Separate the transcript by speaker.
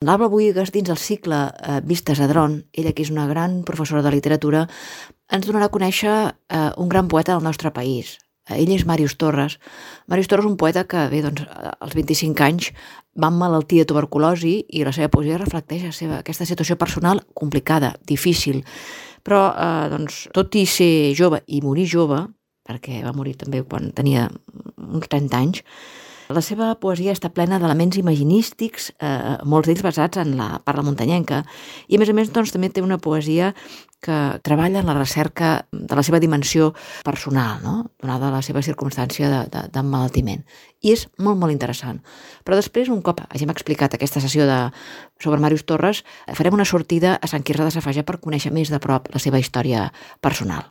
Speaker 1: L'Alba Buïgas, dins el cicle Vistes a Dron, ella que és una gran professora de literatura, ens donarà a conèixer un gran poeta del nostre país. Ell és Màrius Torres. Màrius Torres és un poeta que, als 25 anys va emmalaltir de tuberculosi i la seva poesia reflecteix aquesta situació personal complicada, difícil. Però, tot i ser jove i morir jove, perquè va morir també quan tenia uns 30 anys, la seva poesia està plena d'elements imaginístics, molts d'ells basats en la parla muntanyenca, i a més també té una poesia que treballa en la recerca de la seva dimensió personal, no? Donada la seva circumstància d'emmalaltiment. I és molt, molt interessant. Però després, un cop hagin explicat aquesta sessió sobre Màrius Torres, farem una sortida a Sant Quirze de Safaja per conèixer més de prop la seva història personal.